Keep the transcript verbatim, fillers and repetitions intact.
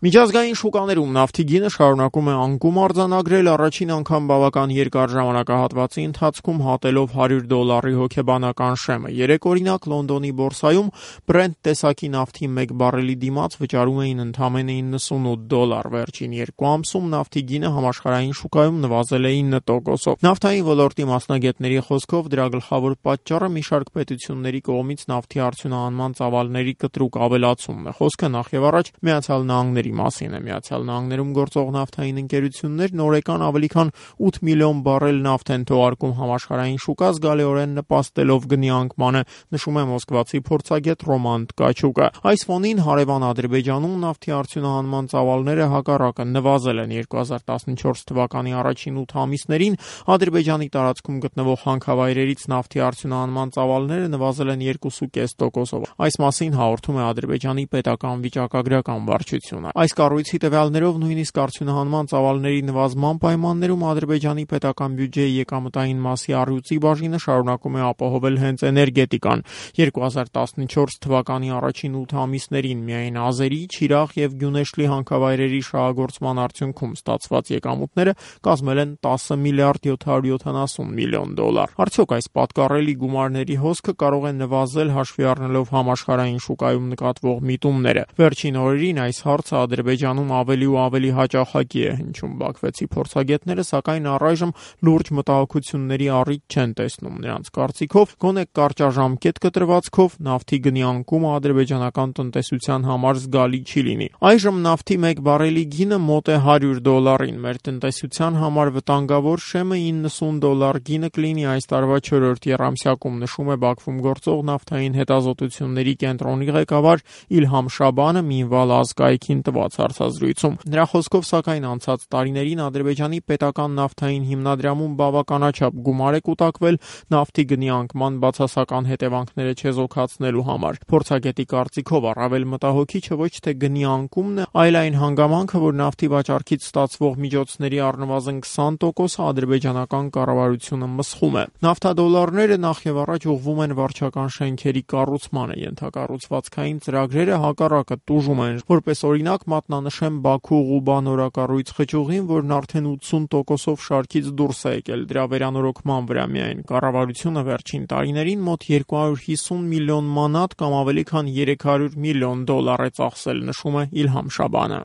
Միջազգային շուկաներում նավթի գինը շարունակում է անկում արձանագրել, առաջին անգամ բավական երկար ժամանակահատվածի ընթացքում հատելով հարյուր դոլարի հոգեբանական շեմը։ Երեք օրինակ Լոնդոնի բորսայում Brent տեսակի նավթի մեկ բարելի դիմաց վճարում էին ընդամենը իննսունութ դոլար։ Վերջին երկու ամսում նավթի գինը համաշխարհային շուկայում նվազել է ինը տոկոսով։ Նավթային ոլորտի մասնագետների խոսքով դրա գլխավոր պատճառը մի շարք պետությունների կողմից նավթի արդյունահանման ծավալների կտրուկ ավելացումն է։ Խոսքը նախ եւ առաջ Միացյալ Նահանգների մասին է։ Միացյալ Նահանգներում գործող նավթային ընկերություններն օրական ավելի քան ութ միլիոն բարել նավթ են թողարկում համաշխարհային շուկա, զգալիորեն նպաստելով գնի անկմանը, նշում է մոսկվացի փորձագետ Ռոման Tkachuk-ը։ Այս ֆոնին հարևան Ադրբեջանում նավթի արդյունահանման ծավալները հակառակը նվազել են։ երկու հազար տասնչորս թվականի առաջին ութ ամիսներին Ադրբեջանի տարածքում գտնվող հանքավայրերից նավթի արդյունահանման ծավալները նվազել են երկու կես տոկոսով։ Այս մասին հաղորդում է Ադրբեջանի պետական վիճակագրական վարչությունը։ Այս կառույցի տվյալներով նույնիսկ արդյունահանման ծավալների նվազման պայմաններում Ադրբեջանի պետական բյուջեի եկամտային մասի առյուծի բաժինը շարունակում է ապահովել հենց էներգետիկան։ երկու հազար տասնչորս թվականի առաջին ութ ամիսներին միայն Ազերի, Չիրաղ եւ Գյունեշլի հանքավայրերի շահագործման արդյունքում ստացված եկամուտները կազմել են տասը միլիարդ յոթ հարյուր յոթանասուն միլիոն դոլար։ Արդյոք այս պատկառելի գումարների հոսքը կարող է նվազել հաշվի առնելով համաշխարհային շուկայում նկատվող միտումները։ Վերջին օրերին այս հարցը Ադրբեջանում ավելի ու ավելի հաճախակի է հնչում։ Բաքվեցի փորձագետները սակայն առայժմ լուրջ մտահոգությունների առիթ չեն տեսնում։ Նրանց կարծիքով գոնե կարճաժամկետ կտրվածքով նավթի գնի անկումը ադրբեջանական տնտեսության համար զգալի չի լինի։ Այժմ նավթի մեկ բարելի գինը մոտ է հարյուր դոլարին։ Մեր տնտեսության համար վտանգավոր շեմը իննսուն դոլար գինը կլինի այս տարվա չորրորդ եռամսյակում, նշում է Բաքվում գործող նավթային հետազոտությունների կենտրոնի ղեկավար Իլհամ Շաբանը Մինվալ ազգայքին տված հարցազրույցում։ Նրա խոսքով սակայն անցած տարիներին Ադրբեջանի պետական նավթային հիմնադրամում բավականաչափ գումար է կուտակվել նավթի գնի անկման բացասական հետևանքները չեզոքացնելու համար։ Փորձագետի կարծիքով առավել մտահոգիչը ոչ թե գնի անկումն է, այլ այն հանգամանքը, որ նավթի վաճառքից ստացվող միջոցների առնվազն քսան տոկոսը ադրբեջանական կառավարությունը մսխում է։ Նավթադոլարները նախ եւ առաջ ուղղվում են վարչական շենքերի կառուցմանը, ենթակառուցվածքային ծրագրերը հակառակը տուժում են։ Որպես օրինակ մատնանշեմ Բաքու-Ղուբա նորակառույց խճուղին, որն արդեն ութսուն տոկոսով շարքից դուրս է եկել դրա վերանորոգման վրա միայն։ Կառավարությունը վերջին տարիներին մոտ երկու հարյուր հիսուն միլիոն մանատ կամ ավելի քան երեք հարյուր միլիոն դոլար է ծախսել, նշում է Իլհամ Շաբանը։